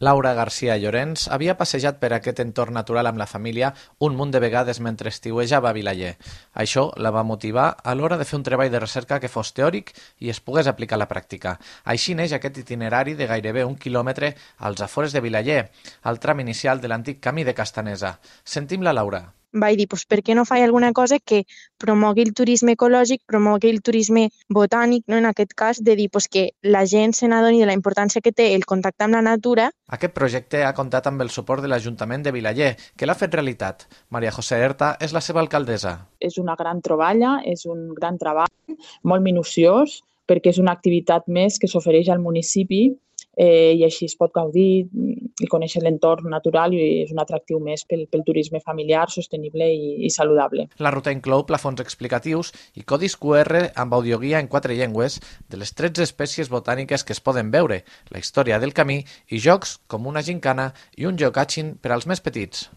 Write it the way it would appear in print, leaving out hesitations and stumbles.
Laura García Llorens havia passejat per aquest entorn natural amb la família un munt de vegades mentre estiuejava a Vilaller. Això la va motivar a l'hora de fer un treball de recerca que fos teòric i es pogués aplicar a la pràctica. Així neix aquest itinerari de gairebé 1 quilòmetre als afores de Vilaller, al tram inicial de l'antic camí de Castanesa. Sentim la Laura. Vaig dir, doncs, per què no faig alguna cosa que promogui el turisme ecològic, promogui el turisme botànic, no? En aquest cas, de dir doncs, que la gent se n'adoni de la importància que té el contacte amb la natura. Aquest projecte ha comptat amb el suport de l'Ajuntament de Vilaller, que l'ha fet realitat. Maria José Herta és la seva alcaldessa. És una gran troballa, és un gran treball, molt minuciós, perquè és una activitat més que s'ofereix al municipi i així es pot gaudir i conèixer l'entorn natural i és un atractiu més pel turisme familiar, sostenible i saludable. La ruta inclou plafons explicatius i codis QR amb audioguia en 4 llengües de les 13 espècies botàniques que es poden veure, la història del camí i jocs com una gincana i un geocaching per als més petits.